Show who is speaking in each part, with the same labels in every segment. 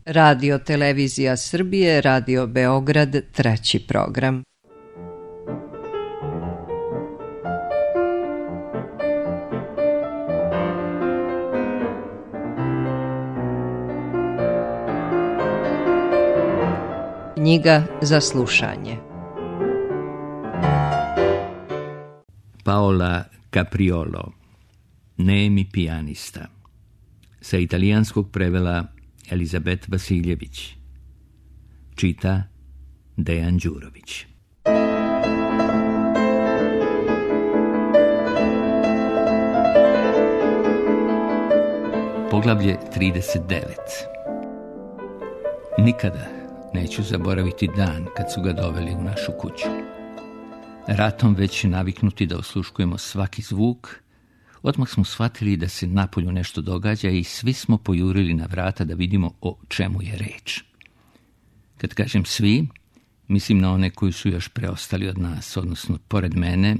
Speaker 1: Radio Televizija Srbije, Radio Beograd, treći program. Knjiga za slušanje.
Speaker 2: Paola Capriolo, Nemi pijanista. Sa italijanskog prevela Elizabet Vasiljević. Čita Dejan Đurović. Poglavlje 39. Nikada neću zaboraviti dan kad su ga doveli u našu kuću. Ratom već naviknuti da osluškujemo svaki zvuk, odmah smo shvatili da se napolju nešto događa i svi smo pojurili na vrata da vidimo o čemu je reč. Kad kažem svi, mislim na one koji su još preostali od nas, odnosno pored mene,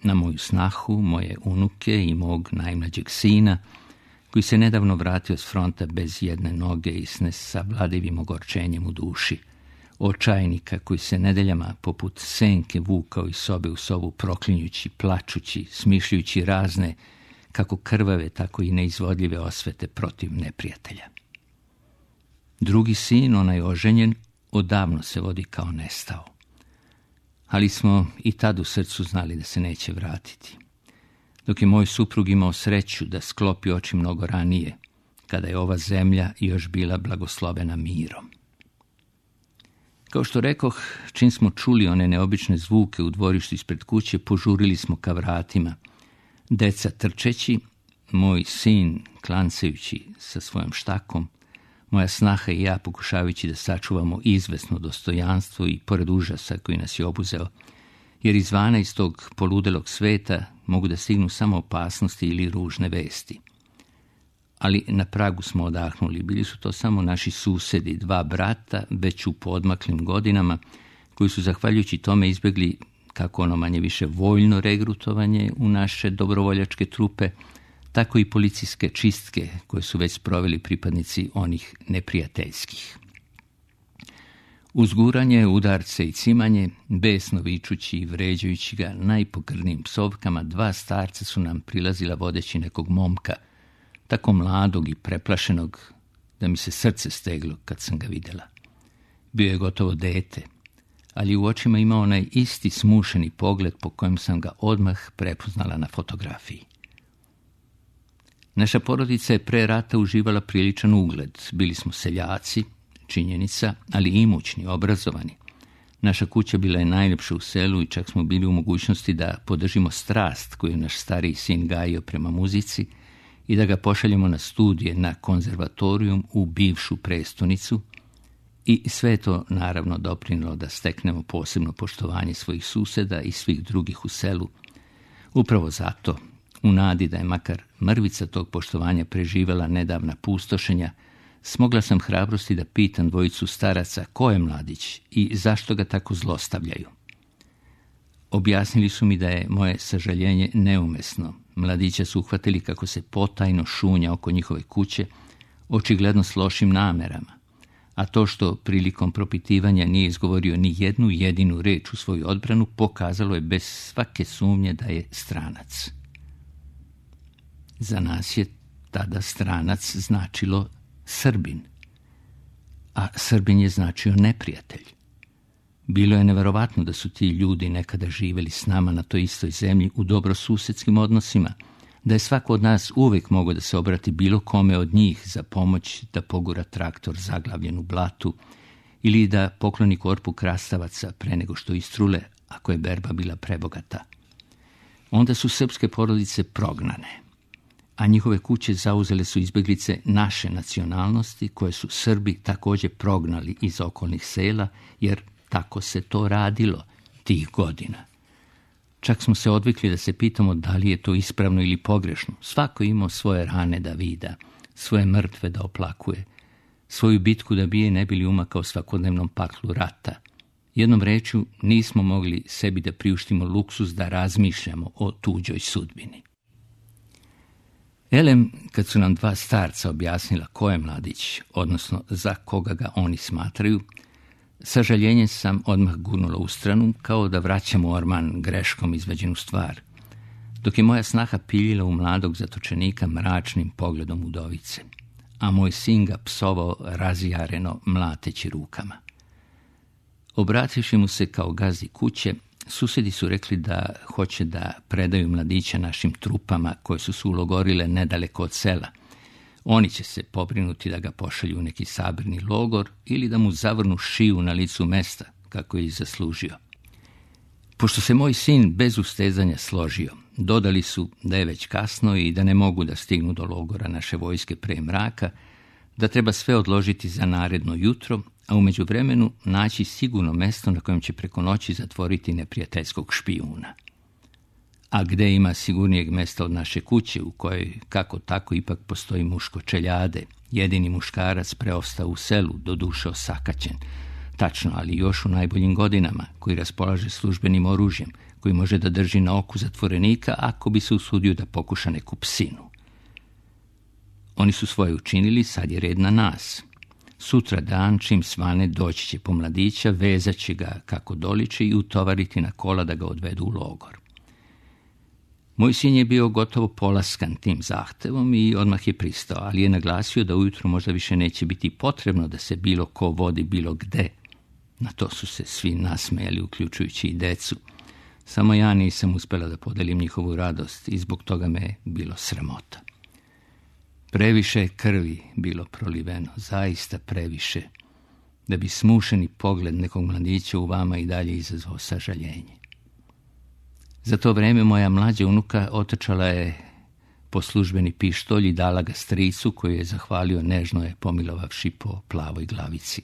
Speaker 2: na moju snahu, moje unuke i mog najmlađeg sina, koji se nedavno vratio s fronta bez jedne noge i s nesavladivim ogorčenjem u duši, očajnika koji se nedeljama poput senke vukao iz sobe u sobu proklinjući, plačući, smišljujući razne, kako krvave, tako i neizvodljive osvete protiv neprijatelja. Drugi sin, onaj oženjen, odavno se vodi kao nestao. Ali smo i tad u srcu znali da se neće vratiti. Dok je moj suprug imao sreću da sklopi oči mnogo ranije, kada je ova zemlja još bila blagoslovena mirom. Kao što rekoh, čim smo čuli one neobične zvuke u dvorištu ispred kuće, požurili smo ka vratima. Deca trčeći, moj sin klancajući sa svojom štakom, moja snaha i ja pokušavajući da sačuvamo izvesno dostojanstvo i pored užasa koji nas je obuzeo, jer izvana iz tog poludelog sveta mogu da stignu samo opasnosti ili ružne vesti. Ali na pragu smo odahnuli. Bili su to samo naši susedi, dva brata, već u poodmaklim godinama, koji su zahvaljujući tome izbjegli kako ono manje više voljno regrutovanje u naše dobrovoljačke trupe, tako i policijske čistke koje su već sproveli pripadnici onih neprijateljskih. Uzguranje, udarce i cimanje, besno vičući i vređajući ga najpogrdnijim psovkama, dva starca su nam prilazila vodeći nekog momka, tako mladog i preplašenog da mi se srce steglo kad sam ga vidjela. Bio je gotovo dete, ali u očima imao onaj isti smušeni pogled po kojem sam ga odmah prepoznala na fotografiji. Naša porodica je pre rata uživala priličan ugled. Bili smo seljaci, činjenica, ali imućni, obrazovani. Naša kuća bila je najljepša u selu i čak smo bili u mogućnosti da podržimo strast koju je naš stariji sin gajio prema muzici i da ga pošaljemo na studije na konzervatorijum u bivšu prestonicu, i sve to naravno doprinilo da steknemo posebno poštovanje svojih suseda i svih drugih u selu. Upravo zato, u nadi da je makar mrvica tog poštovanja preživela nedavna pustošenja, smogla sam hrabrosti da pitam dvojicu staraca ko je mladić i zašto ga tako zlostavljaju. Objasnili su mi da je moje sažaljenje neumesno. Mladića su uhvatili kako se potajno šunja oko njihove kuće, očigledno s lošim namerama, a to što prilikom propitivanja nije izgovorio ni jednu jedinu reč u svoju odbranu pokazalo je bez svake sumnje da je stranac. Za nas je tada stranac značilo Srbin, a Srbin je značio neprijatelj. Bilo je neverovatno da su ti ljudi nekada živjeli s nama na toj istoj zemlji u dobrosusedskim odnosima, da je svako od nas uvijek mogao da se obrati bilo kome od njih za pomoć da pogura traktor zaglavljen u blatu ili da pokloni korpu krastavaca pre nego što istrule, ako je berba bila prebogata. Onda su srpske porodice prognane, a njihove kuće zauzele su izbjeglice naše nacionalnosti koje su Srbi također prognali iz okolnih sela, jer tako se to radilo tih godina. Čak smo se odvikli da se pitamo da li je to ispravno ili pogrešno. Svako imao svoje rane da vida, svoje mrtve da oplakuje, svoju bitku da bije ne bili umakao svakodnevnom paklu rata. Jednom rečju, nismo mogli sebi da priuštimo luksuz da razmišljamo o tuđoj sudbini. Elem, kad su nam dva starca objasnila ko je mladić, odnosno za koga ga oni smatraju, sa žaljenjem sam odmah gurnula u stranu, kao da vraćam u orman greškom izvađenu stvar, dok je moja snaha piljila u mladog zatočenika mračnim pogledom udovice, a moj sin ga psovao razjareno mlateći rukama. Obrativši mu se kao gazdi kuće, susedi su rekli da hoće da predaju mladića našim trupama koje su se ulogorile nedaleko od sela. Oni će se pobrinuti da ga pošalju u neki sabirni logor ili da mu zavrnu šiju na licu mesta, kako je i zaslužio. Pošto se moj sin bez ustezanja složio, dodali su da je već kasno i da ne mogu da stignu do logora naše vojske pre mraka, da treba sve odložiti za naredno jutro, a u međuvremenu naći sigurno mesto na kojem će preko noći zatvoriti neprijateljskog špijuna. A gde ima sigurnijeg mesta od naše kuće, u kojoj kako tako ipak postoji muško čeljade, jedini muškarac preostao u selu, doduše osakaćen, tačno, ali još u najboljim godinama, koji raspolaže službenim oružjem, koji može da drži na oku zatvorenika ako bi se usudio da pokuša neku psinu. Oni su svoje učinili, sad je red na nas. Sutra dan, čim svane, doći će po mladića, vezat će ga kako doliči i utovariti na kola da ga odvedu u logor. Moj sin je bio gotovo polaskan tim zahtevom i odmah je pristao, ali je naglasio da ujutro možda više neće biti potrebno da se bilo ko vodi bilo gde. Na to su se svi nasmejali, uključujući i decu. Samo ja nisam uspela da podelim njihovu radost i zbog toga me je bilo sramota. Previše je krvi bilo proliveno, zaista previše, da bi smušeni pogled nekog mladića u vama i dalje izazvao sažaljenje. Za to vreme moja mlađa unuka otrčala je po službeni pištolj i dala ga stricu, koji je zahvalio, nežno je pomilovavši po plavoj glavici.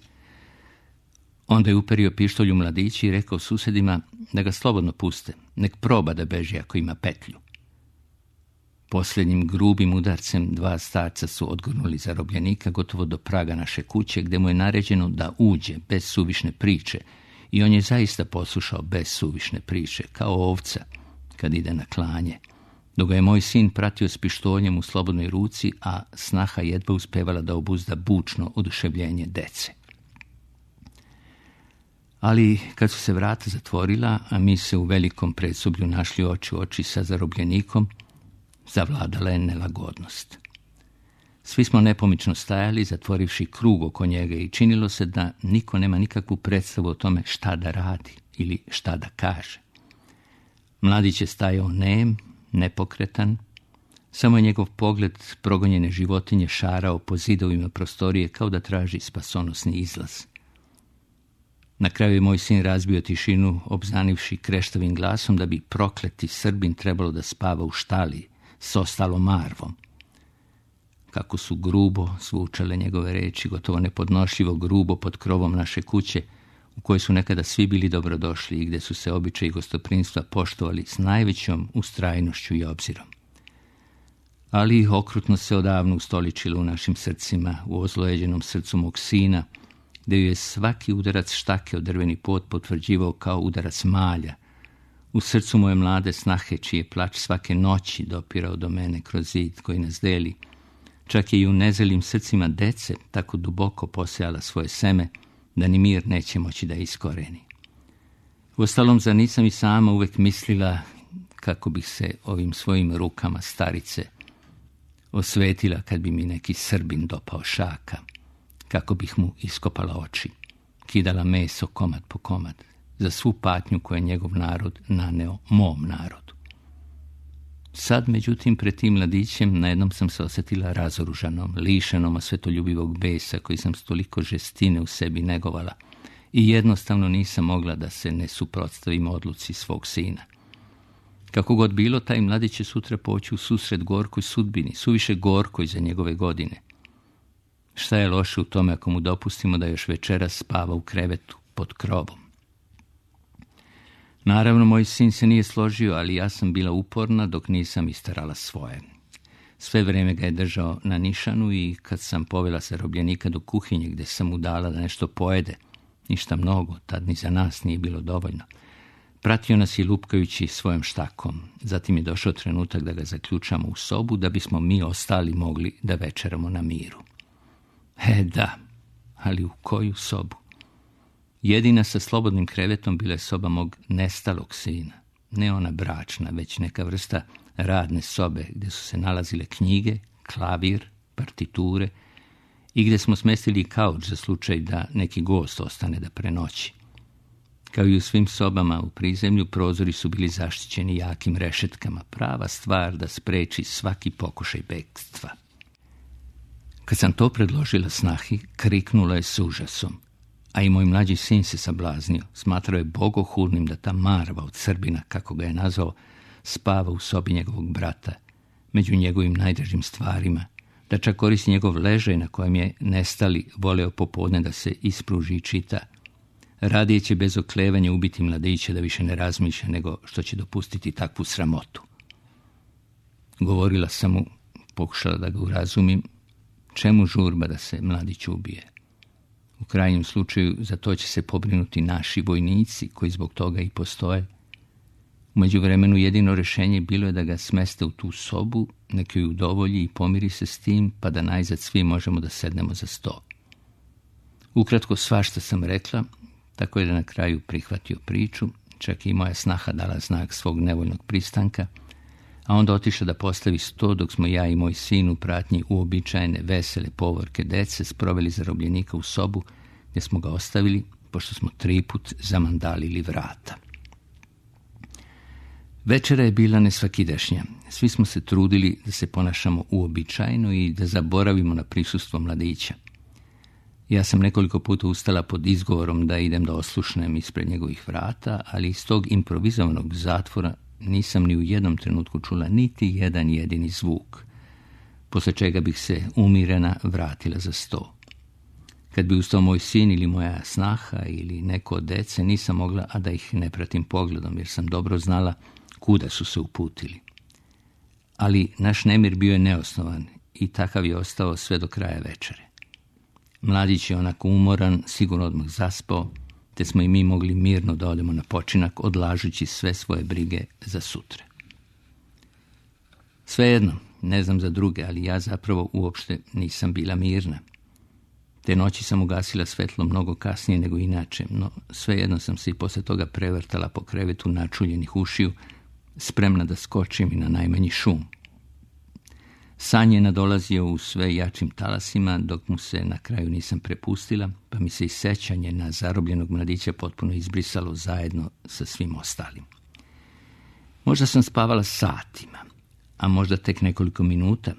Speaker 2: Onda je uperio pištolj u mladići i rekao susedima da ga slobodno puste, nek proba da beži ako ima petlju. Posljednjim grubim udarcem dva starca su odgurnuli zarobljenika gotovo do praga naše kuće, gde mu je naređeno da uđe bez suvišne priče, i on je zaista poslušao bez suvišne priče, kao ovca kad ide na klanje, dok ga je moj sin pratio s pištoljem u slobodnoj ruci, a snaha jedva uspevala da obuzda bučno oduševljenje dece. Ali kad su se vrata zatvorila, a mi se u velikom predsoblju našli oči u oči sa zarobljenikom, zavladala je nelagodnost. Svi smo nepomično stajali, zatvorivši krug oko njega, i činilo se da niko nema nikakvu predstavu o tome šta da radi ili šta da kaže. Mladić je stajao nem, nepokretan, samo je njegov pogled progonjene životinje šarao po zidovima prostorije kao da traži spasonosni izlaz. Na kraju je moj sin razbio tišinu, obznanivši kreštavim glasom da bi prokleti Srbin trebalo da spava u štali s ostalom marvom. Kako su grubo zvučale njegove reči, gotovo nepodnošljivo grubo pod krovom naše kuće, u kojoj su nekada svi bili dobrodošli i gde su se običaji gostoprimstva poštovali s najvećom ustrajnošću i obzirom. Ali okrutno se odavno ustoličilo u našim srcima, u ozlojeđenom srcu mog sina, gde ju je svaki udarac štake od drveni pod potvrđivao kao udarac malja, u srcu moje mlade snahe, čiji je plač svake noći dopirao do mene kroz zid koji nas deli. Čak je i u nezelim srcima dece tako duboko posejala svoje seme da ni mir neće moći da iskoreni. Uostalom, zar nisam i sama uvek mislila kako bih se ovim svojim rukama starice osvetila kad bi mi neki Srbin dopao šaka, kako bih mu iskopala oči, kidala meso komad po komad, za svu patnju koju je njegov narod naneo mom narodu. Sad, međutim, pred tim mladićem najednom sam se osjetila razoružanom, lišenom svetoljubivog besa koji sam s toliko žestine u sebi negovala, i jednostavno nisam mogla da se ne suprotstavim odluci svog sina. Kako god bilo, taj mladić će sutra poći u susret gorkoj sudbini, suviše gorkoj za njegove godine. Šta je loše u tome ako mu dopustimo da još večeras spava u krevetu pod krovom? Naravno, moj sin se nije složio, ali ja sam bila uporna dok nisam istarala svoje. Sve vreme ga je držao na nišanu i kad sam povela zarobljenika do kuhinje gde sam mu dala da nešto pojede, ništa mnogo, tad ni za nas nije bilo dovoljno, Pratio nas je lupkajući svojom štakom. Zatim je došao trenutak da ga zaključamo u sobu, da bismo mi ostali mogli da večeramo na miru. Da, ali u koju sobu? Jedina sa slobodnim krevetom bila je soba mog nestalog sina. Ne ona bračna, već neka vrsta radne sobe gdje su se nalazile knjige, klavir, partiture i gdje smo smestili kauč za slučaj da neki gost ostane da prenoći. Kao i u svim sobama u prizemlju, prozori su bili zaštićeni jakim rešetkama, prava stvar da spreči svaki pokušaj bekstva. Kad sam to predložila snahi, kriknula je s užasom, a i moj mlađi sin se sablaznio. Smatrao je bogohulnim da ta marva od Srbina, kako ga je nazvao, spava u sobi njegovog brata, među njegovim najdražim stvarima, da čak koristi njegov ležaj na kojem je nestali voleo popodne da se ispruži i čita. Radije će bez oklevanja ubiti mladića da više ne razmišlja nego što će dopustiti takvu sramotu. Govorila sam mu, pokušala da ga urazumim, čemu žurba da se mladić ubije. U krajnjem slučaju za to će se pobrinuti naši vojnici koji zbog toga i postoje. U međuvremenu jedino rješenje bilo je da ga smeste u tu sobu, neka ju udovolji i pomiri se s tim, pa da najzad svi možemo da sednemo za sto. Ukratko svašta sam rekla, tako je da na kraju prihvatio priču, čak i moja snaha dala znak svog nevoljnog pristanka, a onda otišla da postavi sto dok smo ja i moj sin u pratnji uobičajene vesele povorke dece sproveli zarobljenika u sobu gdje smo ga ostavili, pošto smo 3 put zamandalili vrata. Večera je bila nesvakidašnja. Svi smo se trudili da se ponašamo uobičajeno i da zaboravimo na prisustvo mladića. Ja sam nekoliko puta ustala pod izgovorom da idem da oslušnem ispred njegovih vrata, ali iz tog improvizovanog zatvora nisam ni u jednom trenutku čula niti jedan jedini zvuk, posle čega bih se umirena vratila za sto. Kad bi ustao moj sin ili moja snaha ili neko od dece, nisam mogla, a da ih ne pratim pogledom, jer sam dobro znala kuda su se uputili. Ali naš nemir bio je neosnovan i takav je ostao sve do kraja večere. Mladić je onako umoran, sigurno odmah zaspao, te smo i mi mogli mirno da odemo na počinak, odlažući sve svoje brige za sutra. Svejedno, ne znam za druge, ali ja zapravo uopšte nisam bila mirna. Te noći sam ugasila svetlo mnogo kasnije nego inače, no svejedno sam se i posle toga prevrtala po krevetu načuljenih ušiju, spremna da skočim i na najmanji šum. San je nadolazio u sve jačim talasima, dok mu se na kraju nisam prepustila, pa mi se i sećanje na zarobljenog mladića potpuno izbrisalo zajedno sa svim ostalim. Možda sam spavala satima, a možda tek nekoliko minuta,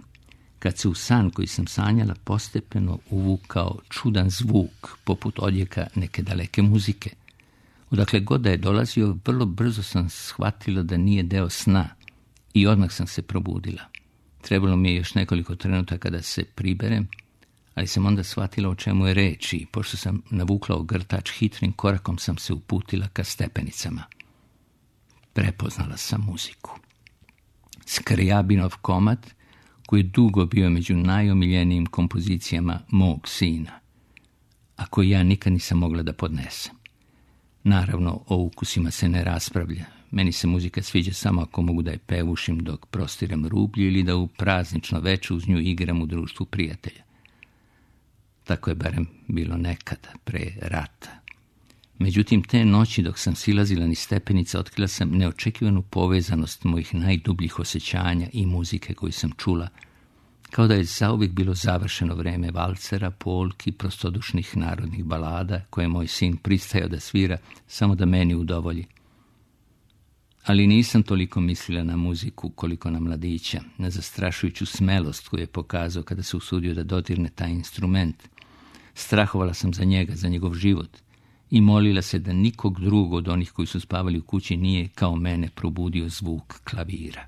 Speaker 2: kad se u san koji sam sanjala postepeno uvukao čudan zvuk, poput odjeka neke daleke muzike. Odakle god da je dolazio, vrlo brzo sam shvatila da nije deo sna i odmah sam se probudila. Trebalo mi je još nekoliko trenutaka da se priberem, ali sam onda shvatila o čemu je reč i pošto sam navukla ogrtač, hitrim korakom sam se uputila ka stepenicama. Prepoznala sam muziku. Skrjabinov komad, koji je dugo bio među najomiljenijim kompozicijama mog sina, a koji ja nikad nisam mogla da podnesem. Naravno, o ukusima se ne raspravlja. Meni se muzika sviđa samo ako mogu da je pevušim dok prostiram rublju ili da u praznično veče uz nju igram u društvu prijatelja. Tako je barem bilo nekada, pre rata. Međutim, te noći dok sam silazila niz stepenice, otkrila sam neočekivanu povezanost mojih najdubljih osjećanja i muzike koju sam čula, kao da je zauvijek bilo završeno vreme valcera, polki, prostodušnih narodnih balada koje moj sin pristajao da svira samo da meni udovolji. Ali nisam toliko mislila na muziku koliko na mladića, na zastrašujuću smelost koju je pokazao kada se usudio da dodirne taj instrument. Strahovala sam za njega, za njegov život i molila se da nikog drugog od onih koji su spavali u kući nije kao mene probudio zvuk klavira.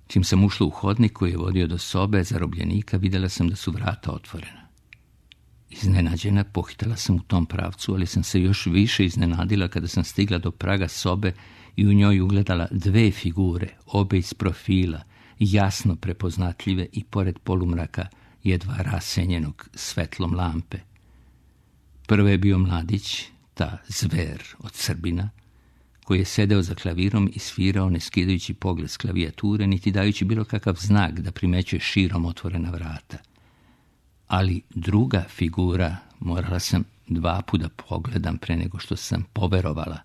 Speaker 2: Čim sam ušla u hodnik koji je vodio do sobe zarobljenika, vidjela sam da su vrata otvorena. Iznenađena pohitala sam u tom pravcu, ali sam se još više iznenadila kada sam stigla do praga sobe i u njoj ugledala 2 figure, obe iz profila, jasno prepoznatljive i pored polumraka jedva rasenjenog svetlom lampe. Prvo je bio mladić, ta zver od Srbina, koji je sedeo za klavirom i svirao ne skidajući pogled s klavijature, niti dajući bilo kakav znak da primećuje širom otvorena vrata. Ali druga figura, morala sam 2 puta pogledam pre nego što sam poverovala,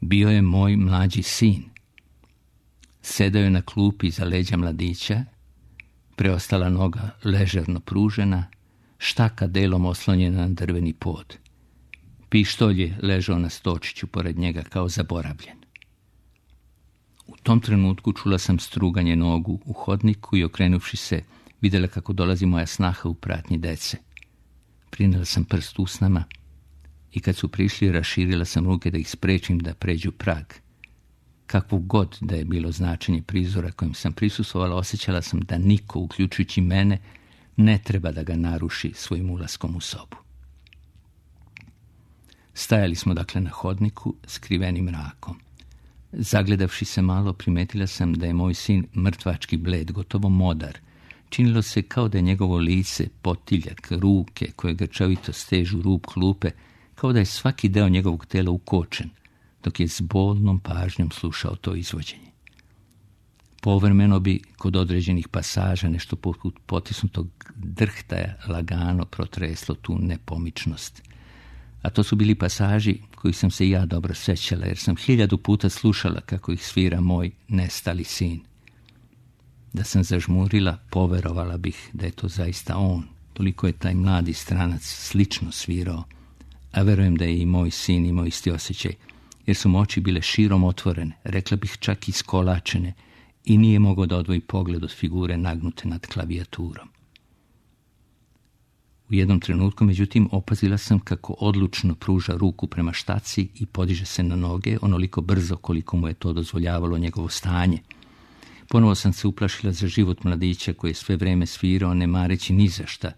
Speaker 2: bio je moj mlađi sin. Sedeo je na klupi iza leđa mladića, preostala noga ležerno pružena, štaka delom oslonjena na drveni pod. Pištolj je ležao na stočiću pored njega kao zaboravljen. U tom trenutku čula sam struganje nogu u hodniku i okrenuvši se, vidjela kako dolazi moja snaha u pratnji dece. Prinela sam prst usnama i kad su prišli, raširila sam ruke da ih sprečim da pređu prag. Kakvo god da je bilo značenje prizora kojem sam prisustvovala, osjećala sam da niko, uključujući mene, ne treba da ga naruši svojim ulaskom u sobu. Stajali smo dakle na hodniku, skrivenim mrakom. Zagledavši se malo, primetila sam da je moj sin mrtvački bled, gotovo modar. Činilo se kao da je njegovo lice, potiljak, ruke koje grčavito stežu rub klupe, kao da je svaki deo njegovog tela ukočen, dok je s bolnom pažnjom slušao to izvođenje. Povremeno bi kod određenih pasaža nešto poput potisnutog drhtaja lagano protreslo tu nepomičnost. A to su bili pasaži koji sam se ja dobro sećala, jer sam 1000 puta slušala kako ih svira moj nestali sin. Da sam zažmurila, poverovala bih da je to zaista on. Toliko je taj mladi stranac slično svirao, a verujem da je i moj sin imao isti osjećaj, jer su mu oči bile širom otvorene, rekla bih čak i skolačene, i nije mogao da odvoji pogled od figure nagnute nad klavijaturom. U jednom trenutku, međutim, opazila sam kako odlučno pruža ruku prema štaci i podiže se na noge onoliko brzo koliko mu je to dozvoljavalo njegovo stanje. Ponovo sam se uplašila za život mladića koji je sve vreme svirao, ne mareći ni za šta,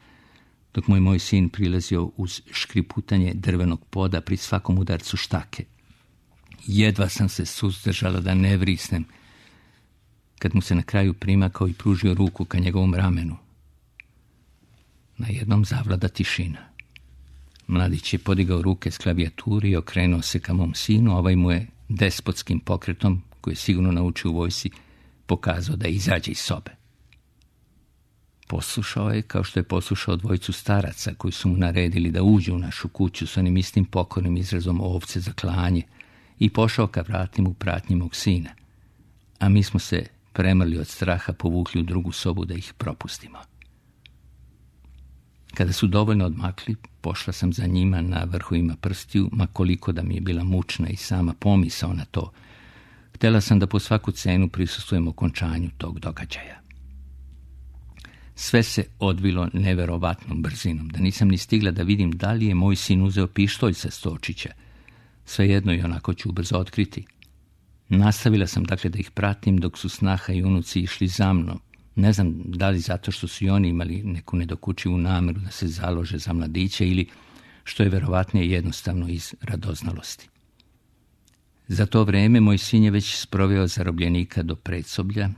Speaker 2: dok moj sin prilazio uz škriputanje drvenog poda pri svakom udarcu štake. Jedva sam se suzdržala da ne vrisnem, kad mu se na kraju primakao i pružio ruku ka njegovom ramenu. Najednom zavlada tišina. Mladić je podigao ruke s klavijaturi i okrenuo se ka mom sinu, a ovaj mu je despotskim pokretom, koji je sigurno naučio u vojsci, pokazao da izađe iz sobe. Poslušao je kao što je poslušao 2 staraca koji su mu naredili da uđe u našu kuću s onim istim pokornim izrazom ovce za klanje i pošao ka vratima u pratnji mog sina. A mi smo se premrli od straha, povukli u drugu sobu da ih propustimo. Kada su dovoljno odmakli, pošla sam za njima na vrhovima prstiju, ma koliko da mi je bila mučna i sama pomisao na to. Htjela sam da po svaku cenu prisustvujem okončanju tog događaja. Sve se odvilo neverovatnom brzinom, da nisam ni stigla da vidim da li je moj sin uzeo pištolj sa stočića. Svejedno i onako ću ubrzo otkriti. Nastavila sam dakle da ih pratim dok su snaha i unuci išli za mnom. Ne znam da li zato što su i oni imali neku nedokučivu nameru da se založe za mladiće ili, što je verovatnije, jednostavno iz radoznalosti. Za to vreme moj sin je već sproveo zarobljenika do predsoblja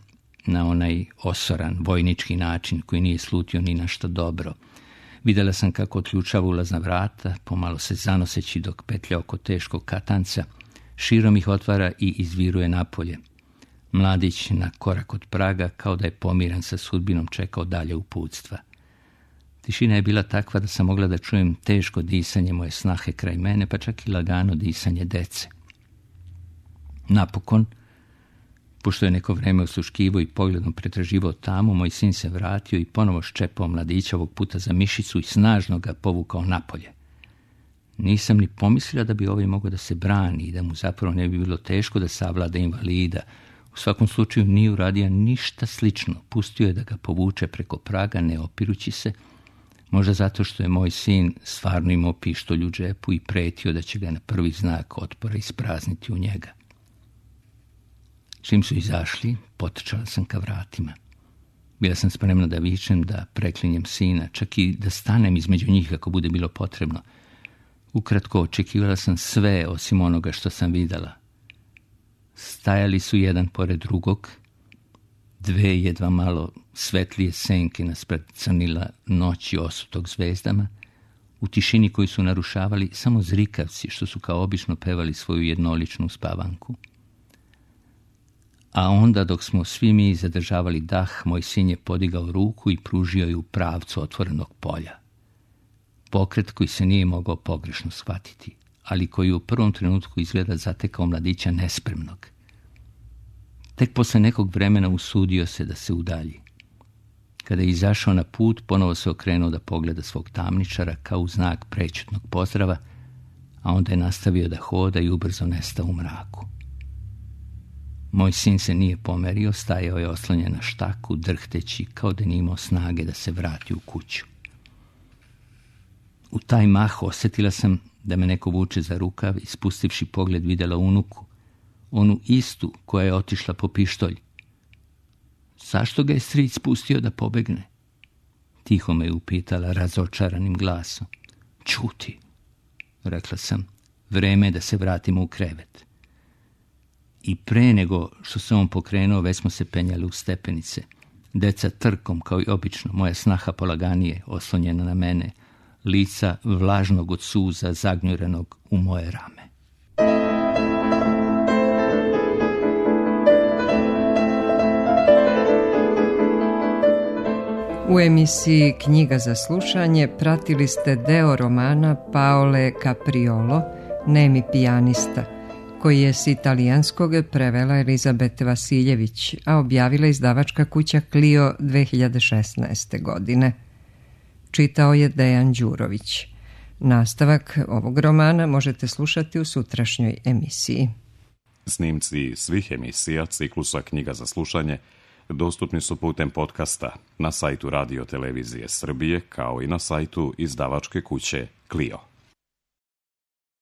Speaker 2: na onaj osoran vojnički način koji nije slutio ni na što dobro. Vidjela sam kako otključava ulazna vrata, pomalo se zanoseći dok petlja oko teškog katanca, širom ih otvara i izviruje napolje. Mladić na korak od praga, kao da je pomiren sa sudbinom, čekao dalje uputstva. Tišina je bila takva da sam mogla da čujem teško disanje moje snahe kraj mene, pa čak i lagano disanje dece. Napokon, pošto je neko vreme osluškivao i pogledom pretraživao tamo, moj sin se vratio i ponovo ščepao mladića, ovog puta za mišicu, i snažno ga povukao napolje. Nisam ni pomislila da bi ovaj mogao da se brani i da mu zapravo ne bi bilo teško da savlada invalida. U svakom slučaju nije uradio ništa slično. Pustio je da ga povuče preko praga, ne opirući se, možda zato što je moj sin stvarno imao pištolj u džepu i pretio da će ga na prvi znak otpora isprazniti u njega. Čim su izašli, potrčala sam ka vratima. Bila sam spremna da vičem, da preklinjem sina, čak i da stanem između njih ako bude bilo potrebno. Ukratko, očekivala sam sve osim onoga što sam videla. Stajali su jedan pored drugog, 2 jedva malo svetlije senke naspred crnila noći osutog zvezdama, u tišini koju su narušavali samo zrikavci što su kao obično pevali svoju jednoličnu spavanku. A onda, dok smo svi mi zadržavali dah, moj sin je podigao ruku i pružio ju u pravcu otvorenog polja. Pokret koji se nije mogao pogrešno shvatiti, ali koji u prvom trenutku izgleda zatekao mladića nespremnog. Tek posle nekog vremena usudio se da se udalji. Kada je izašao na put, ponovo se okrenuo da pogleda svog tamničara kao u znak prećutnog pozdrava, a onda je nastavio da hoda i ubrzo nestao u mraku. Moj sin se nije pomerio, stajao je oslonjen na štaku, drhteći kao da nije imao snage da se vrati u kuću. U taj mah osjetila sam da me neko vuče za rukav i spustivši pogled vidjela unuku, onu istu koja je otišla po pištolj. Zašto ga je stric pustio da pobegne? Tiho me je upitala razočaranim glasom. Ćuti, rekla sam, vreme je da se vratimo u krevet. I pre nego što se on pokrenuo, već smo se penjali u stepenice. Deca trkom, kao i obično, moja snaha polaganije, oslonjena na mene, lica vlažnog od suza zagnjurenog u moje rame.
Speaker 1: U emisiji Knjiga za slušanje pratili ste deo romana Paole Capriolo, Nemi pijanista, koji je s italijanskog prevela Elizabete Vasiljević, a objavila izdavačka kuća Clio 2016. godine. Čitao je Dejan Đurović. Nastavak ovog romana možete slušati u sutrašnjoj emisiji.
Speaker 3: Snimci svih emisija ciklusa Knjiga za slušanje dostupni su putem podcasta na sajtu Radio Televizije Srbije kao i na sajtu izdavačke kuće Clio.